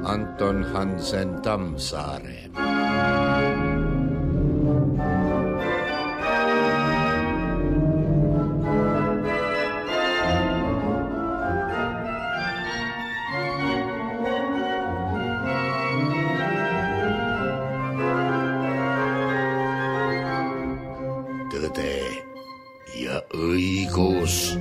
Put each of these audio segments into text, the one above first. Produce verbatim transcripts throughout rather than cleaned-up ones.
Anton Hansen Tammsaare. Tõde ja õigus.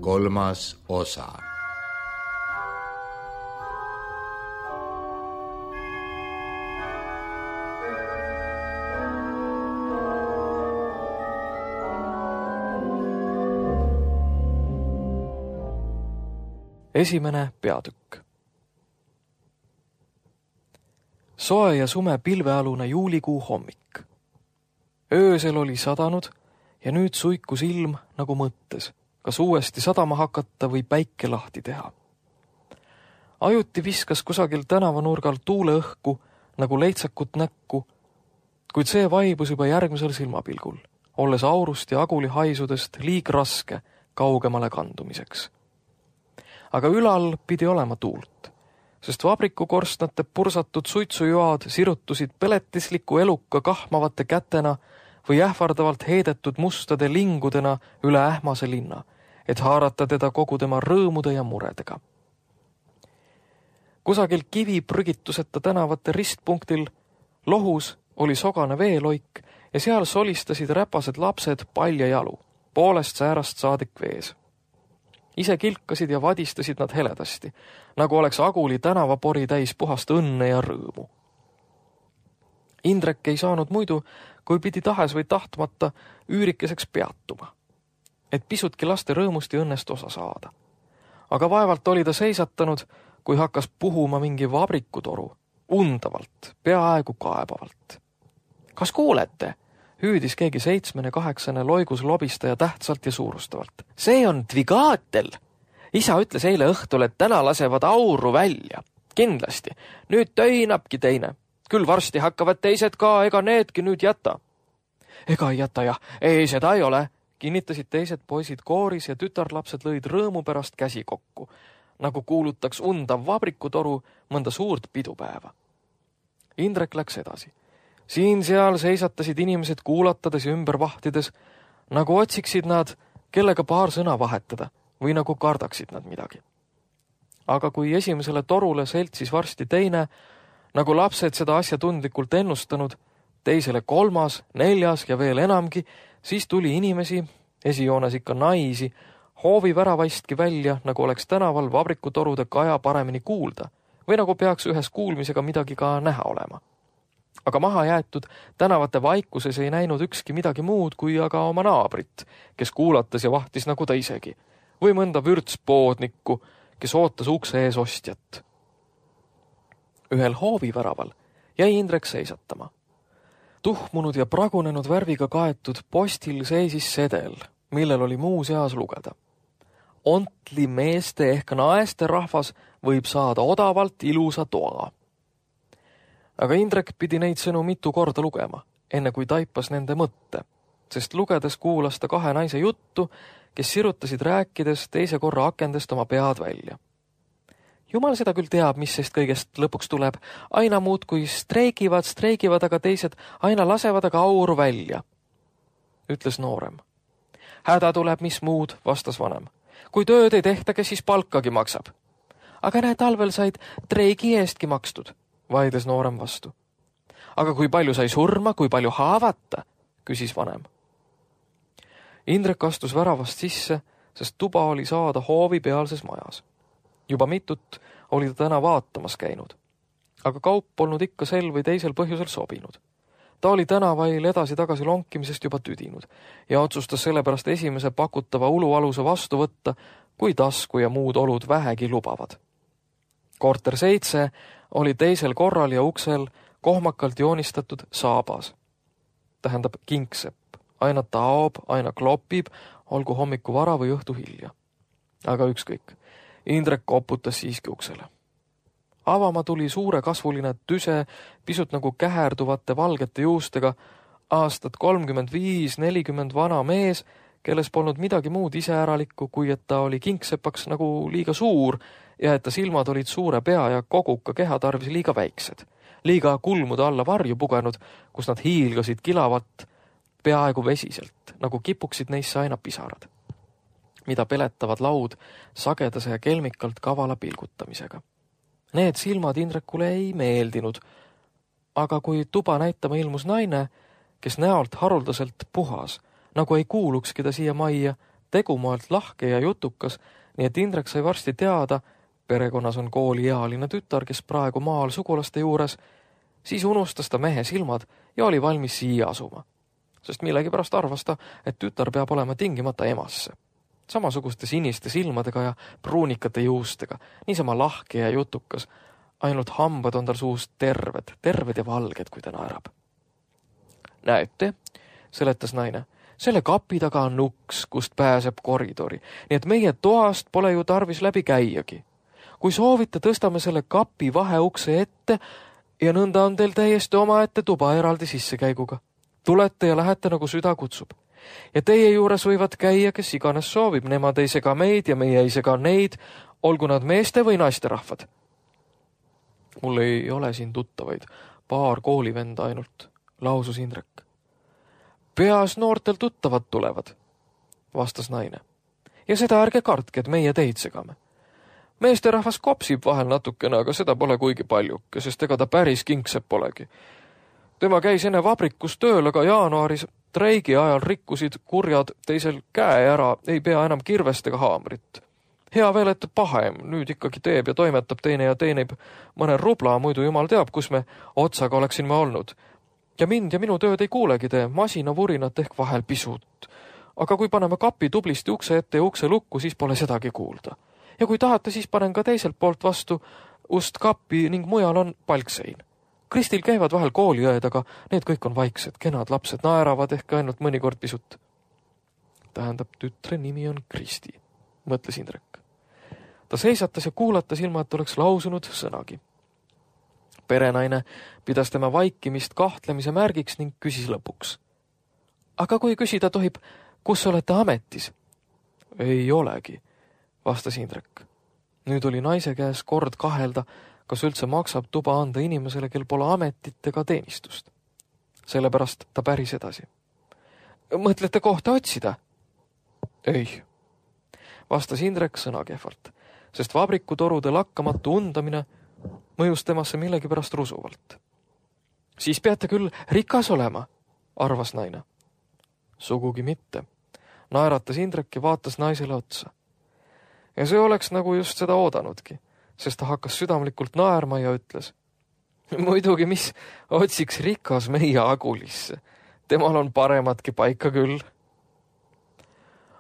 Kolmas osa. Esimene peatükk. Soe ja sume pilvealune juulikuu hommik. Öösel oli sadanud ja nüüd suikus ilm nagu mõttes, kas uuesti sadama hakata või päike lahti teha. Ajuti viskas kusagil tänavanurgal tuule õhku nagu leitsakut näkku, kuid see vaibus juba järgmisel silmapilgul, olles aurust ja aguli haisudest liig raske kaugemale kandumiseks. Aga ülal pidi olema tuult, sest vabrikukorstnate pursatud suitsujoad sirutusid peletisliku eluka kahmavate kätena või ähvardavalt heidetud mustade lingudena üle ähmase linna, et haarata teda kogu tema rõõmude ja muredega. Kusagil kivi prügituseta tänavate ristpunktil lohus oli sogane veeloik ja seal solistasid räpased lapsed palja jalu, poolest säärast saadik vees. Ise kilkasid ja vadistasid nad heledasti, nagu oleks aguli tänavapori täis puhast õnne ja rõõmu. Indrek ei saanud muidu, kui pidi tahes või tahtmata üürikeseks peatuma, et pisutki laste rõõmust ja õnnest osa saada. Aga vaevalt oli ta seisatanud, kui hakkas puhuma mingi vabrikutoru, undavalt, peaaegu kaebavalt. Kas kuulete? Hüüdis keegi seitsmene kaheksane loigus lobistaja tähtsalt ja suurustavalt. See on Dvigaatel. Isa ütles eile õhtul, et täna lasevad auru välja. Kindlasti. Nüüd töinabki teine. Küll varsti hakkavad teised ka, ega needki nüüd jäta. Ega ei jäta jah. Ei, seda ei ole. Kinnitasid teised poisid kooris ja tütarlapsed lõid rõõmu pärast käsi kokku, nagu kuulutaks undav vabrikutoru mõnda suurt pidupäeva. Indrek läks edasi. Siin-seal seisatasid inimesed kuulatades ja ümber vahtides, nagu otsiksid nad, kellega paar sõna vahetada või nagu kardaksid nad midagi. Aga kui esimesele torule seltsis varsti teine, nagu lapsed seda asja tundlikult ennustanud, teisele kolmas, neljas ja veel enamgi, siis tuli inimesi, esijoones ikka naisi, hoovi väravaistki välja, nagu oleks tänaval vabrikutorude kaja paremini kuulda või nagu peaks ühes kuulmisega midagi ka näha olema. Aga maha jäetud tänavate vaikuses ei näinud ükski midagi muud kui aga oma naabrit, kes kuulatas ja vahtis nagu ta isegi, või mõnda vürtspoodnikku, kes ootas ukse ees ostjat. Ühel hooviväraval jäi Indrek seisatama. Tuhmunud ja pragunenud värviga kaetud postil seisis sedel, millel oli muu seas lugeda. Ontli meeste ehk naeste rahvas võib saada odavalt ilusa toa. Aga Indrek pidi neid sõnu mitu korda lugema, enne kui taipas nende mõtte, sest lugedes kuulas ta kahe naise juttu, kes sirutasid rääkides teise korra akendest oma pead välja. Jumal seda küll teab, mis sest kõigest lõpuks tuleb. Aina muud kui streigivad, streigivad, aga teised aina lasevad aga auru välja, ütles noorem. Häda tuleb, mis muud, vastas vanem. Kui tööd ei tehta, kes siis palkagi maksab. Aga näe, talvel said treigi eestki makstud, vaidles noorem vastu. Aga kui palju sai surma, kui palju haavata, küsis vanem. Indrek astus väravast sisse, sest tuba oli saada hoovi pealses majas. Juba mitut oli ta täna vaatamas käinud, aga kaup polnud ikka sel või teisel põhjusel sobinud. Ta oli tänavail edasi-tagasi lonkimisest juba tüdinud ja otsustas sellepärast esimese pakutava ulualuse vastu võtta, kui tasku ja muud olud vähegi lubavad. Korter seitse oli teisel korral ja uksel kohmakalt joonistatud saabas, tähendab kingsepp. Aina taob, aina klopib, olgu hommiku vara või õhtu hilja. Aga ükskõik. Indrek koputas siiski uksele. Avama tuli suure kasvuline tüse, pisut nagu käherduvate valgete juustega, aastat kolmkümmend viis nelikümmend vana mees, kelles polnud midagi muud iseäralikku, kui et ta oli kingsepaks nagu liiga suur ja et ta silmad olid suure pea ja koguka keha tarvis liiga väiksed. Liiga kulmude alla varju pugenud, kus nad hiilgasid kilavat peaaegu vesiselt, nagu kipuksid neisse aina pisarad, mida peletavad laud sagedase ja kelmikalt kavala pilgutamisega. Need silmad Indrekule ei meeldinud, aga kui tuba näitama ilmus naine, kes näolt haruldaselt puhas, nagu ei kuulukski ta siia majja, tegumoelt lahke ja jutukas, nii et Indrek sai varsti teada, perekonnas on kooliealine tütar, kes praegu maal sugulaste juures, siis unustas ta mehe silmad ja oli valmis siia asuma. Sest millegipärast arvas ta, et tütar peab olema tingimata emasse. Samasuguste siniste silmadega ja pruunikate juustega, niisama lahke ja jutukas, ainult hambad on tal suust terved, terved ja valged, kui ta naerab. Näete, seletas naine, selle kapi taga on uks, kust pääseb koridori, nii et meie toast pole ju tarvis läbi käiagi. Kui soovite, tõstame selle kapi vaheukse ette ja nõnda on teil täiesti omaette tuba eraldi sissekäiguga. Tulete ja lähete nagu süda kutsub. Ja teie juures võivad käia, kes iganes soovib, nemad ei sega meid ja meie ei sega neid, olgu nad meeste või naiste rahvad. Mul ei ole siin tuttavaid, paar koolivenda ainult, lausus Indrek. Peas noortel tuttavad tulevad, vastas naine. Ja seda ärge kartke, et meie teid segame. Meeste rahvas kopsib vahel natukene, aga seda pole kuigi paljuke, sest ega ta päris kingsepp polegi. Tema käis enne vabrikus tööl, aga jaanuaris treigi ajal rikkusid kurjad teisel käe ära, ei pea enam kirvest ega haamrit. Hea veel, et pahem, nüüd ikkagi teeb ja toimetab teine ja teenib mõne rubla, muidu jumal teab, kus me otsaga oleksin me olnud. Ja mind ja minu tööd ei kuulegi te, masina vurinat ehk vahel pisut. Aga kui paneme kapi tublisti ukse ette ja ukse lukku, siis pole sedagi kuulda. Ja kui tahate, siis panen ka teiselt poolt vastu ust kappi ning mujal on palksein. Kristil käivad vahel kooliõed, aga need kõik on vaiksed, kenad lapsed naeravad ehk ainult mõnikord pisut. Tähendab, tütre nimi on Kristi, mõtles Indrek. Ta seisatas ja kuulatas ilma, et oleks lausunud sõnagi. Perenaine pidas tema vaikimist kahtlemise märgiks ning küsis lõpuks. Aga kui küsida tohib, kus olete ametis? Ei olegi, vastas Indrek. Nüüd oli naise käes kord kahelda, kas üldse maksab tuba anda inimesele, kel pole ametit ega teenistust. Sellepärast ta päris edasi. Mõtlete kohta otsida? Ei, vastas Indrek sõnakehvalt, sest vabrikutorude lakkamatu undamine mõjus temasse millegipärast rusuvalt. Siis peate küll rikas olema, arvas naine. Sugugi mitte. Naeratas Indrek ja vaatas naisele otsa. Ja see oleks nagu just seda oodanudki, sest ta hakkas südamlikult naerma ja ütles. Muidugi, mis otsiks rikas meie Agulisse. Temal on parematki paika küll.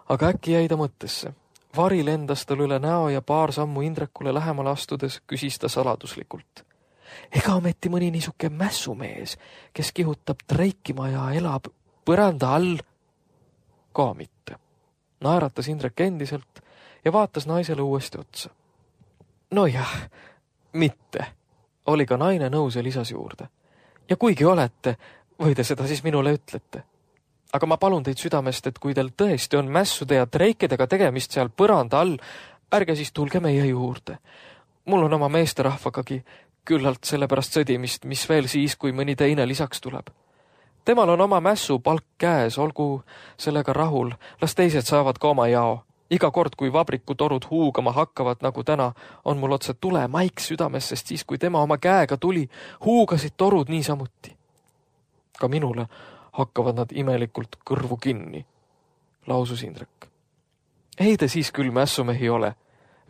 Aga äkki jäi ta mõttesse. Vari lendas tal üle näo ja paar sammu Indrekule lähemale astudes küsis ta saladuslikult. Ega ometi mõni niisuke mässumees, kes kihutab treikima ja elab põranda all? Ka mitte. Naeratas Indrek endiselt ja vaatas naisele uuesti otsa. No jah, mitte, oli ka naine nõus ja lisas juurde. Ja kuigi olete, või te seda siis minule ütlete. Aga ma palun teid südamest, et kui teil tõesti on mässude ja treikedega tegemist seal põranda all, ärge siis tulge meie juurde. Mul on oma meesterahvagagi küllalt sellepärast sõdimist, mis veel siis, kui mõni teine lisaks tuleb. Temal on oma mässu palk käes, olgu sellega rahul, las teised saavad ka oma jao. Iga kord, kui vabrikutorud huugama hakkavad, nagu täna, on mul otse tule maik südames, sest siis, kui tema oma käega tuli, huugasid torud niisamuti. Ka minule hakkavad nad imelikult kõrvu kinni, lausus Indrek. Ei te siis küll mässumehi ole,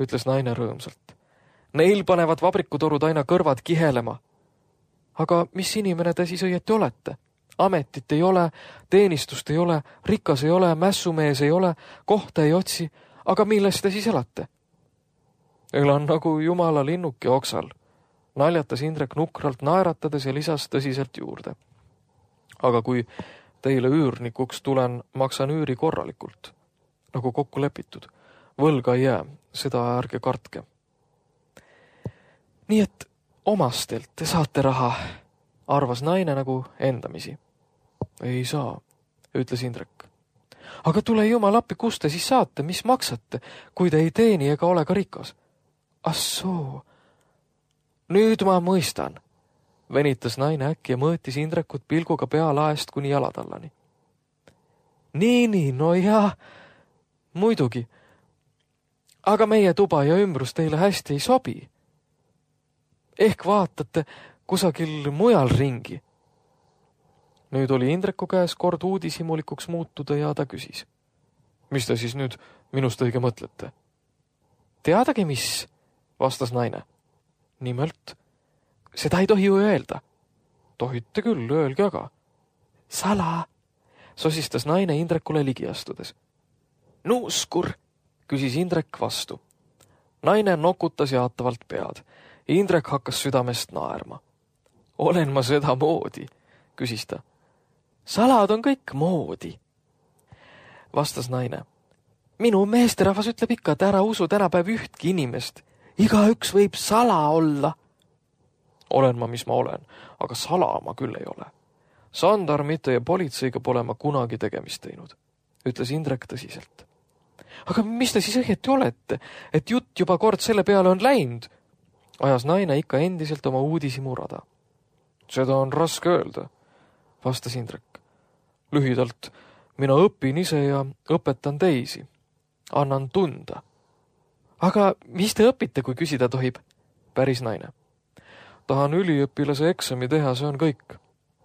ütles naine rõõmsalt. Neil panevad vabrikutorud aina kõrvad kihelema. Aga mis inimene te siis õieti olete? Ametit ei ole, teenistust ei ole, rikas ei ole, mässumees ei ole, kohta ei otsi, aga millest te siis elate? Elan nagu jumala linnuke oksal, naljatas Indrek nukralt naeratades ja lisas tõsiselt juurde. Aga kui Teile üürnikuks tulen, maksan üüri korralikult, nagu kokku lepitud. Võlga ei jää, seda ärge kartke. Nii et omastelt te saate raha, arvas naine nagu endamisi. Ei saa, ütles Indrek. Aga tule jumal appi, kust te siis saate, mis maksate, kui te ei teeni ega ole ka rikas? Assoo, nüüd ma mõistan, venitas naine äkki ja mõõtis Indrekut pilguga pea laest kuni jalatallani. Nii, nii, no jaa, muidugi. Aga meie tuba ja ümbrus teile hästi ei sobi. Ehk vaatate kusagil mujal ringi. Nüüd oli Indreku käes kord uudishimulikuks muutuda ja ta küsis. Mis te siis nüüd minust õige mõtlete? Teadagi mis, vastas naine. Nimelt, seda ei tohi ju öelda. Tohite küll, öelge aga. Sala, sosistas naine Indrekule ligi astudes. Nuuskur, küsis Indrek vastu. Naine nokutas jaatavalt pead. Indrek hakkas südamest naerma. Olen ma seda moodi, küsis ta. Salad on kõik moodi, vastas naine. Minu meesterahvas ütleb ikka, et ära usu tänapäev ühtki inimest. Igaüks võib sala olla. Olen ma, mis ma olen, aga sala ma küll ei ole. Sandarmite ja politseiga pole ma kunagi tegemist teinud, ütles Indrek tõsiselt. Aga mis te siis õieti olete, et jutt juba kord selle peale on läinud? Ajas naine ikka endiselt oma uudisimu rada. Seda on raske öelda, vastas Indrek. Lühidalt, mina õpin ise ja õpetan teisi. Annan tunda. Aga mis te õpite, kui küsida tohib? Päris naine. Tahan üliõpilase eksami teha, see on kõik,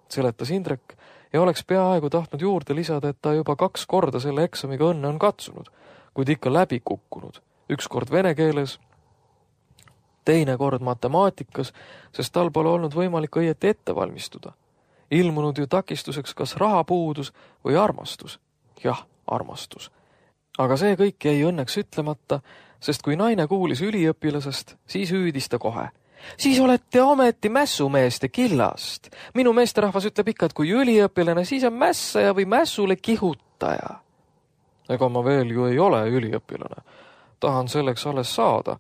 seletas Indrek ja oleks peaaegu tahtnud juurde lisada, et ta juba kaks korda selle eksamiga õnne on katsunud, kuid ikka läbi kukkunud. Üks kord vene keeles, teine kord matemaatikas, sest tal pole olnud võimalik õieti ette valmistuda. Ilmunud ju takistuseks kas rahapuudus või armastus. Jah, armastus. Aga see kõik jäi õnneks ütlemata, sest kui naine kuulis üliõpilasest, siis hüüdis ta kohe. Siis olete ometi mässumeeste killast. Minu meesterahvas ütleb ikka, et kui üliõpilane, siis on mässaja või mässule kihutaja. Ega ma veel ju ei ole üliõpilane. Tahan selleks alles saada.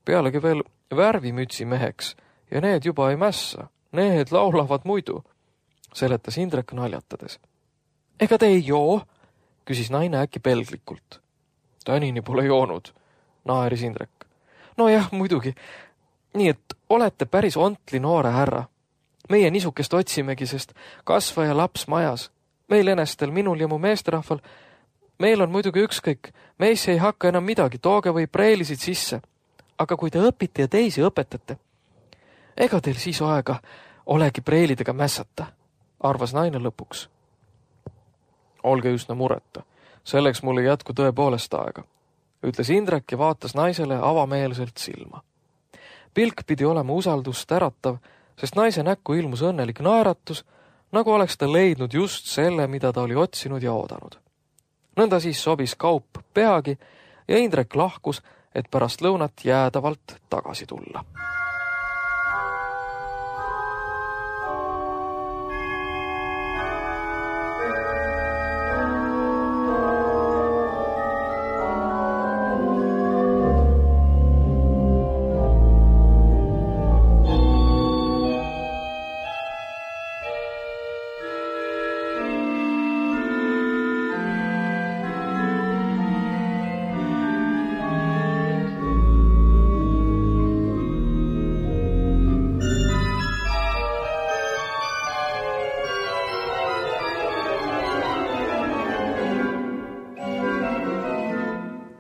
Pealegi veel värvimütsi meheks ja need juba ei mässa. Need laulavad muidu, seletas Indrek naljatades. Ega te ei joo, küsis naine äkki pelglikult. Tänini pole joonud, naeris Indrek. No jah, muidugi. Nii et olete päris ontli noore härra. Meie nisukest otsimegi, sest kasvaja laps majas. Meil enestel, minul ja mu meesterahval, meil on muidugi ükskõik. Meisse ei hakka enam midagi, tooge või preelisid sisse. Aga kui te õpite ja teisi õpetate, ega teil siis aega olegi preelidega mässata, arvas naine lõpuks. Olge üsna mureta, selleks mul ei jätku tõepoolest aega, ütles Indrek ja vaatas naisele avameelselt silma. Pilk pidi olema usaldust äratav, sest naise näkku ilmus õnnelik naeratus, nagu oleks ta leidnud just selle, mida ta oli otsinud ja oodanud. Nõnda siis sobis kaup peagi ja Indrek lahkus, et pärast lõunat jäädavalt tagasi tulla.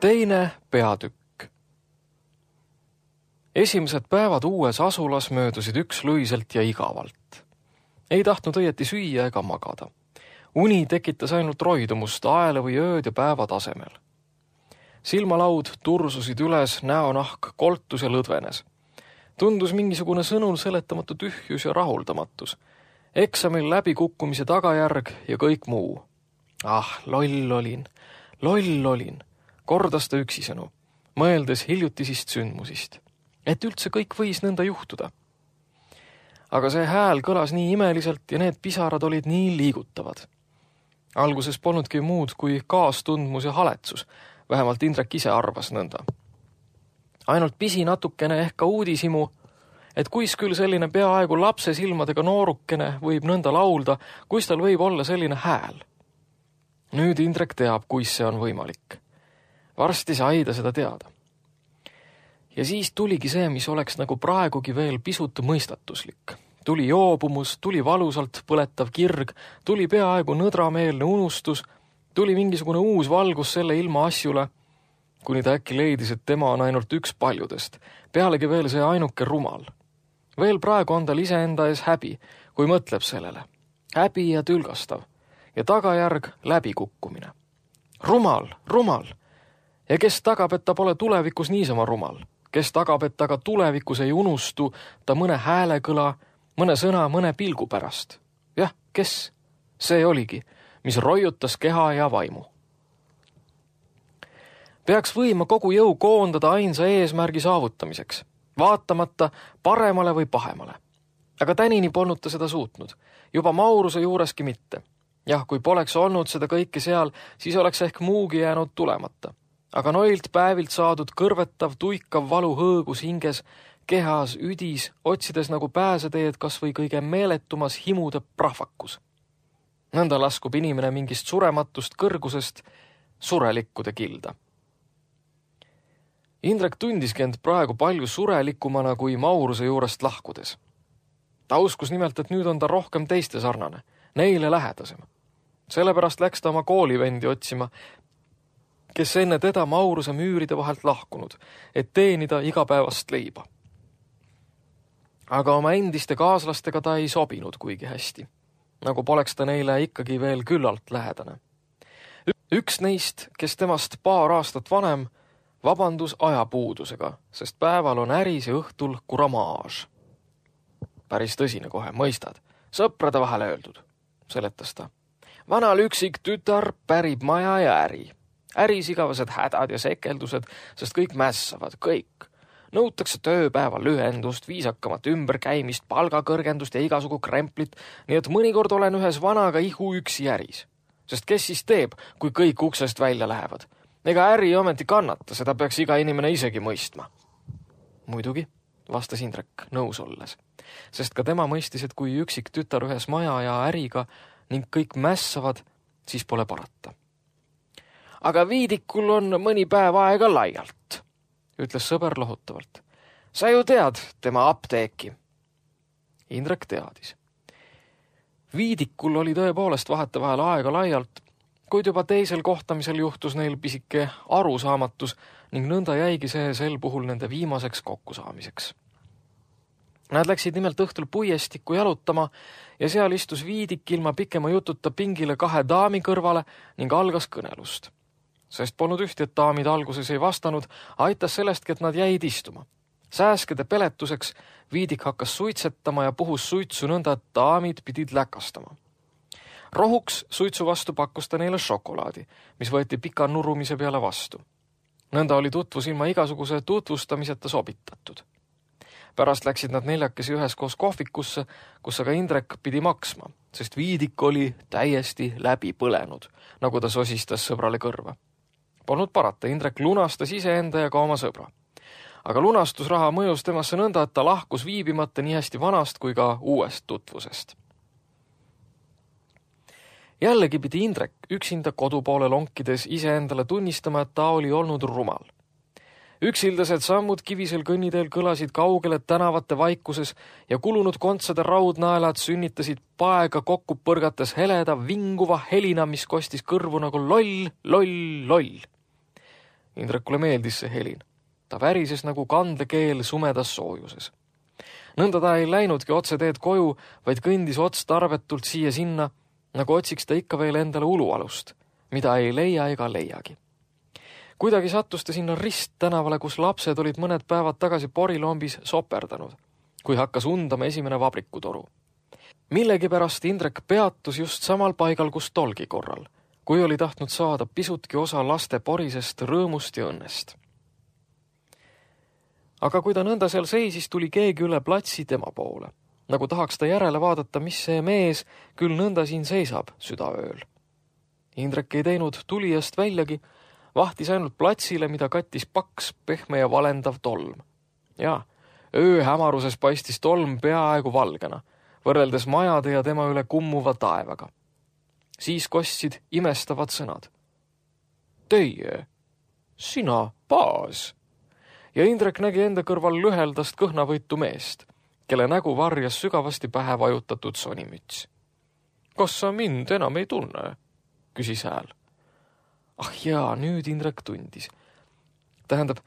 Teine peatükk. Esimesed päevad uues asulas möödusid ükslõiselt ja igavalt. Ei tahtnud õieti süüa ega magada. Uni tekitas ainult roidumust aele või ööd ja päeva tasemel. Silmalaud tursusid üles, näonahk koltus ja lõdvenes. Tundus mingisugune sõnul seletamatu tühjus ja rahuldamatus. Eksamil läbikukkumise tagajärg ja kõik muu. Ah, loll olin, loll olin. Kordas ta üksisõnu, mõeldes hiljutisist sündmusist, et üldse kõik võis nõnda juhtuda. Aga see hääl kõlas nii imeliselt ja need pisarad olid nii liigutavad. Alguses polnudki muud kui kaastundmus ja haletsus, vähemalt Indrek ise arvas nõnda. Ainult pisi natukene ehk ka uudishimu, et kuis küll selline peaaegu lapse silmadega noorukene võib nõnda laulda, kuis tal võib olla selline hääl. Nüüd Indrek teab, kuis see on võimalik. Varsti sai ta seda teada. Ja siis tuligi see, mis oleks nagu praegugi veel pisut mõistatuslik. Tuli joobumus, tuli valusalt põletav kirg, tuli peaaegu nõdrameelne unustus, tuli mingisugune uus valgus selle ilma asjule, kuni ta äkki leidis, et tema on ainult üks paljudest, pealegi veel see ainuke rumal. Veel praegu on tal iseenda ees häbi, kui mõtleb sellele. Häbi ja tülgastav ja tagajärg läbikukkumine. Rumal, rumal. Ja kes tagab, et ta pole tulevikus niisama rumal? Kes tagab, et ta ka tulevikus ei unustu ta mõne häälekõla, mõne sõna, mõne pilgu pärast? Jah, kes? See oligi, mis roiutas keha ja vaimu. Peaks võima kogu jõu koondada ainsa eesmärgi saavutamiseks, vaatamata paremale või pahemale. Aga tänini polnud ta seda suutnud, juba Mauruse juureski mitte. Jah, kui poleks olnud seda kõike seal, siis oleks ehk muugi jäänud tulemata. Aga noilt päevilt saadud kõrvetav, tuikav valu hõõgus hinges, kehas, üdis, otsides nagu pääseteed kas või kõige meeletumas himude prahvakus. Nõnda laskub inimene mingist surematust kõrgusest surelikkude kilda. Indrek tundiski end praegu palju surelikumana kui Mauruse juurest lahkudes. Ta uskus nimelt, et nüüd on ta rohkem teiste sarnane, neile lähedasem. Sellepärast läks ta oma koolivendi otsima, kes enne teda Mauruse müüride vahelt lahkunud, et teenida igapäevast leiba. Aga oma endiste kaaslastega ta ei sobinud kuigi hästi, nagu poleks ta neile ikkagi veel küllalt lähedane. Üks neist, kes temast paar aastat vanem, vabandus ajapuudusega, sest päeval on äris ja õhtul kuramaaž. Päris tõsine kohe, mõistad. Sõprade vahel öeldud, seletas ta. Vanal üksik tütar pärib maja ja äri. Äris igavesed hädad ja sekeldused, sest kõik mässavad, kõik. Nõutakse tööpäeval lühendust, viisakamat ümberkäimist, palgakõrgendust ja igasugu kremplit, nii et mõnikord olen ühes vanaga ihu üksi äris. Sest kes siis teeb, kui kõik uksest välja lähevad? Ega äri ometi kannata, seda peaks iga inimene isegi mõistma. Muidugi, vastas Indrek nõus olles, sest ka tema mõistis, et kui üksik tütar ühes maja ja äriga ning kõik mässavad, siis pole parata. Aga Viidikul on mõni päev aega laialt, ütles sõber lohutavalt. Sa ju tead tema apteeki. Indrek teadis. Viidikul oli tõepoolest vahetevahel aega laialt, kuid juba teisel kohtamisel juhtus neil pisike arusaamatus ning nõnda jäigi see sel puhul nende viimaseks kokkusaamiseks. Nad läksid nimelt õhtul puiestikku jalutama ja seal istus Viidik ilma pikema jututa pingile kahe daami kõrvale ning algas kõnelust. Sest polnud ühti, et daamid alguses ei vastanud, aitas sellestki, et nad jäid istuma. Sääskede peletuseks Viidik hakkas suitsetama ja puhus suitsu nõnda, et daamid pidid läkastama. Rohuks suitsu vastu pakkus ta neile šokolaadi, mis võeti pika nurumise peale vastu. Nõnda oli tutvus ilma igasuguse tutvustamiseta sobitatud. Pärast läksid nad neljakesi üheskoos kohvikusse, kus aga Indrek pidi maksma, sest Viidik oli täiesti läbi põlenud, nagu ta sosistas sõbrale kõrva. Polnud parata, Indrek lunastas iseenda ja ka oma sõbra. Aga lunastusraha mõjus temasse nõnda, et ta lahkus viibimata nii hästi vanast kui ka uuest tutvusest. Jällegi pidi Indrek üksinda kodupoole lonkides iseendale tunnistama, et ta oli olnud rumal. Üksildased sammud kivisel kõnniteel kõlasid kaugele tänavate vaikuses ja kulunud kontsade raudnaelad sünnitasid paega kokku põrgates heleda vinguva helina, mis kostis kõrvu nagu loll, loll, loll. Indrekule meeldis see helin. Ta värises nagu kandekeel sumedas soojuses. Nõnda ta ei läinudki otse teed koju, vaid kõndis otstarvetult siia-sinna, nagu otsiks ta ikka veel endale ulualust, mida ei leia ega leiagi. Kuidagi sattus ta sinna rist tänavale, kus lapsed olid mõned päevad tagasi porilombis soperdanud, kui hakkas undama esimene vabrikutoru. Millegipärast Indrek peatus just samal paigal, kus tolgi korral, kui oli tahtnud saada pisutki osa laste porisest rõõmust ja õnnest. Aga kui ta nõnda seal seisis, tuli keegi üle platsi tema poole, nagu tahaks ta järele vaadata, mis see mees küll nõnda siin seisab südaööl. Indrek ei teinud tulijast väljagi, vahtis ainult platsile, mida kattis paks, pehme ja valendav tolm. Ja öö hämaruses paistis tolm peaaegu valgena, võrreldes majade ja tema üle kummuva taevaga. Siis kostsid imestavad sõnad. Teie, sina, Baas. Ja Indrek nägi enda kõrval lüheldast kõhnavõitu meest, kelle nägu varjas sügavasti pähe vajutatud sonimüts. Kas sa mind enam ei tunne? Küsis hääl. Ah jaa, nüüd Indrek tundis. Tähendab,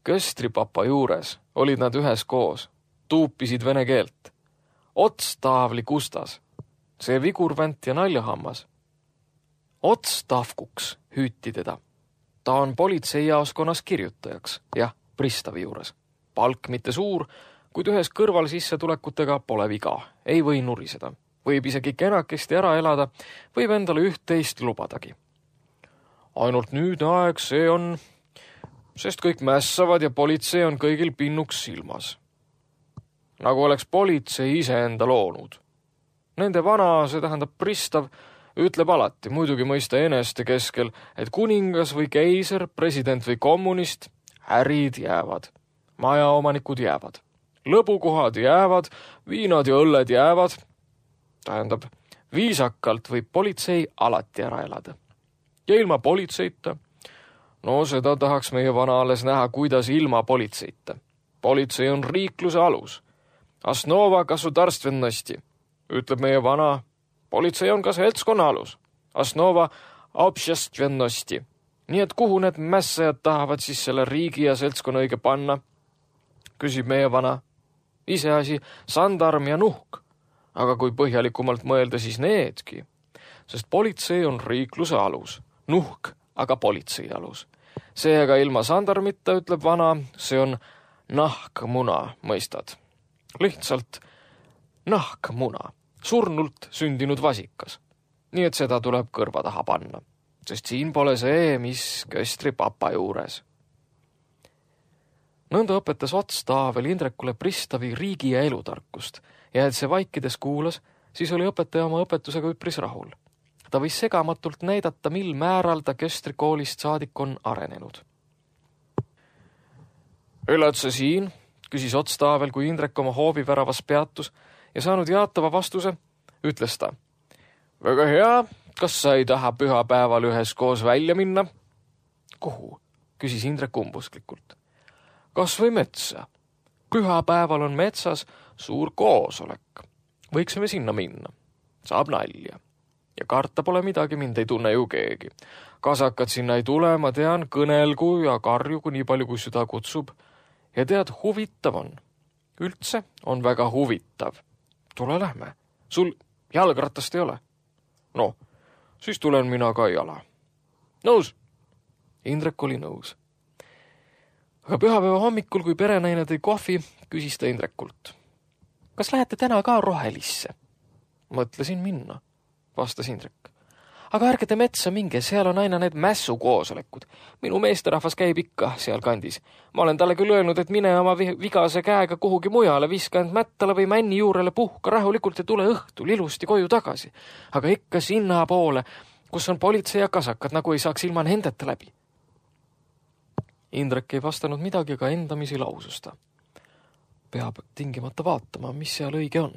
köstripapa juures olid nad ühes koos, tuupisid vene keelt. Otstaavli kustas, see vigurvänt ja naljahammas. Otstavkuks hüüti teda. Ta on politseijaoskonnas kirjutajaks, jah, pristavi juures. Palk mitte suur, kuid ühes kõrval sissetulekutega pole viga, ei või nuriseda. Võib isegi kenakesti ära elada, võib endale üht-teist lubadagi. Ainult nüüdne aeg see on, sest kõik mässavad ja politsei on kõigil pinnuks silmas. Nagu oleks politsei iseenda loonud. Nende vana, see tähendab pristav, ütleb alati, muidugi mõista eneste keskel, et kuningas või keiser, president või kommunist, ärid jäävad, majaomanikud jäävad, lõbukohad jäävad, viinad ja õlled jäävad. Tähendab, viisakalt võib politsei alati ära elada. Ja ilma politseita? No seda tahaks meie vana alles näha, kuidas ilma politseita. Politsei on riikluse alus. Asnova gasudarstvennosti, ütleb meie vana. Politsei on ka seltskonna alus. Asnova obšestvennosti. Nii et kuhu need mässajad tahavad siis selle riigi ja seltskonna õige panna? Küsib meie vana. Iseasi sandarm ja nuhk. Aga kui põhjalikumalt mõelda, siis needki. Sest politsei on riikluse alus. Nuhk, aga politsei alus. Seega ilma sandarmita, ütleb vana, see on nahkmuna, mõistad. Lihtsalt nahkmuna. Surnult sündinud vasikas. Nii et seda tuleb kõrva taha panna. Sest siin pole see, mis köstri papa juures. Nõnda õpetas Otstaavel Indrekule pristavi riigi ja elutarkust ja et see vaikides kuulas, siis oli õpetaja oma õpetusega üpris rahul. Ta võis segamatult näidata, mil määral ta köstri koolist saadik on arenenud. Elad sa siin? Küsis Otstaavel, kui Indrek oma hooviväravas peatus ja saanud jaatava vastuse, ütles ta. Väga hea, kas sa ei taha pühapäeval ühes koos välja minna? Kuhu? Küsis Indrek umbusklikult. Kas või metsa? Pühapäeval on metsas suur koosolek. Võiksime sinna minna. Saab nalja. Ja karta pole midagi, mind ei tunne ju keegi. Kasakad sinna ei tule, ma tean, kõnelgu ja karjugu nii palju, kui süda kutsub. Ja tead, huvitav on. Üldse on väga huvitav. Tule lähme. Sul jalgratast ei ole? No, siis tulen mina ka jala. Nõus? Indrek oli nõus. Aga pühapäeva hommikul, kui perenaine tõi kohvi, küsis ta Indrekult. Kas lähete täna ka rohelisse? Mõtlesin minna, vastas Indrek. Aga ärge te metsa minge, seal on aina need mässukoosolekud. Minu meesterahvas käib ikka seal kandis. Ma olen talle küll öelnud, et mine oma vigase käega kuhugi mujale, viska end mättale või männi juurele, puhka rahulikult ja tule õhtul ilusti koju tagasi. Aga ikka sinna poole, kus on politsei ja kasakad, nagu ei saaks ilma nendeta läbi. Indrek ei vastanud midagi, aga endamisi laususta. Peab tingimata vaatama, mis seal õige on.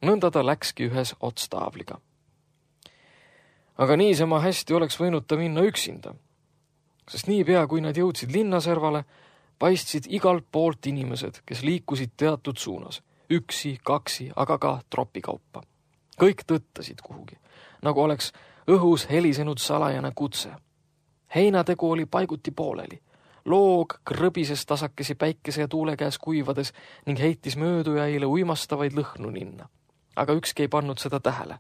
Nõnda ta läkski ühes Otstaavliga. Aga niisama hästi oleks võinud ta minna üksinda, sest niipea, kui nad jõudsid linnaservale, paistsid igalt poolt inimesed, kes liikusid teatud suunas, üksi, kaksi, aga ka tropikaupa. Kõik tõttasid kuhugi, nagu oleks õhus helisenud salajane kutse. Heinategu oli paiguti pooleli. Loog krõbises tasakesi päikese ja tuule käes kuivades ning heitis möödujaile uimastavaid lõhnu ninna. Aga ükski ei pannud seda tähele.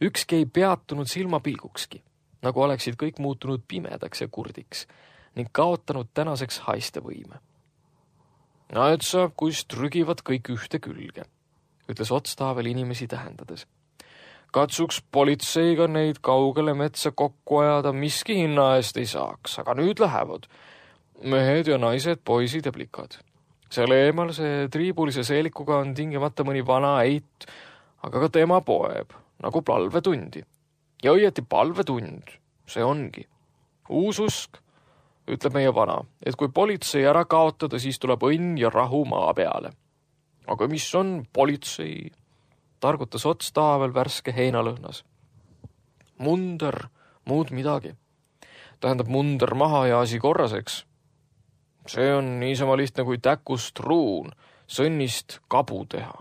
Ükski ei peatunud silmapilgukski, nagu oleksid kõik muutunud pimedaks ja kurdiks ning kaotanud tänaseks haistevõime. Näed sa, kus trügivad kõik ühte külge, ütles Otstaavel inimesi tähendades. Katsuks politseiga neid kaugele metsa kokku ajada, miski hinna eest ei saaks, aga nüüd lähevad mehed ja naised, poisid ja plikad. Seal eemal see triibulise seelikuga on tingimata mõni vana eit, aga ka tema poeb, nagu palvetundi. ja õieti palvetund, see ongi. Uususk, ütleb meie vana, et kui politsei ära kaotada, siis tuleb õnn ja rahu maa peale. Aga mis on politsei? Targutas ots taavel värske heinalõhnas. Munder, muud midagi. Tähendab munder maha ja asi korraseks. See on niisama lihtne kui täkust ruun, sõnnist kabu teha.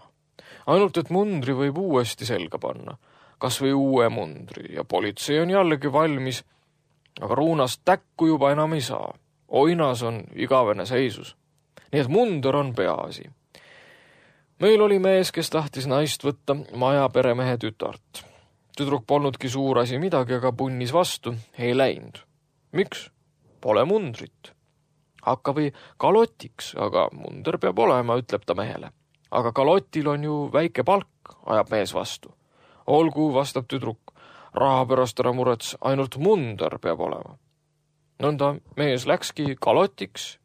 Ainult, et mundri võib uuesti selga panna, kas või uue mundri, ja politsei on jällegi valmis, aga ruunast täkku juba enam ei saa. Oinas on igavene seisus. Nii et munder on peaasi. Meil oli mees, kes tahtis naist võtta maja peremehe tütart. Tüdruk polnudki suur asi midagi, aga punnis vastu, ei läinud. Miks? Pole mundrit. Hakka või kalotiks, aga munder peab olema, ütleb ta mehele. Aga kalotil on ju väike palk, ajab mees vastu. Olgu, vastab tüdruk, raha pärast ära murets, ainult munder peab olema. Nõnda mees läkski kalotiks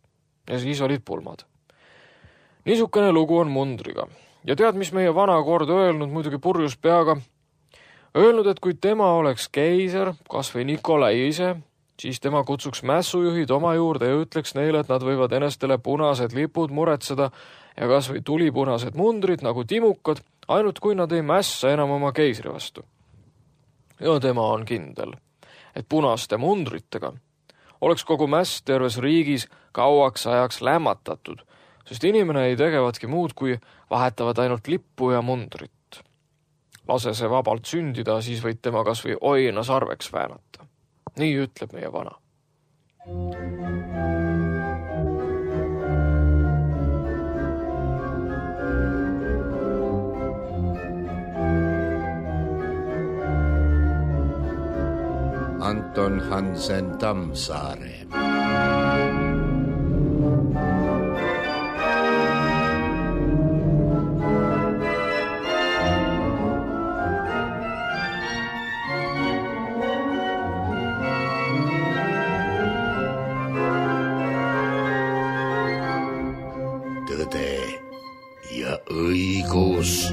ja siis olid pulmad. Niisukene lugu on mundriga. Ja tead, mis meie vana kord öelnud, muidugi purjus peaga? Öelnud, et kui tema oleks keiser, kas või Nikolai ise, siis tema kutsuks mässujuhid oma juurde ja ütleks neile, et nad võivad enestele punased lipud muretseda ja kas või tulipunased mundrid nagu timukad, ainult kui nad ei mässa enam oma keisri vastu. Ja tema on kindel, et punaste mundritega oleks kogu mäss terves riigis kauaks ajaks lämmatatud, sest inimene ei tegevatki muud, kui vahetavad ainult lippu ja mundrit. Lase see vabalt sündida, siis võid tema kas või oina sarveks väänata. Nii ütleb meie vana. Anton Hansen Tammsaare. Tõde ja õigus.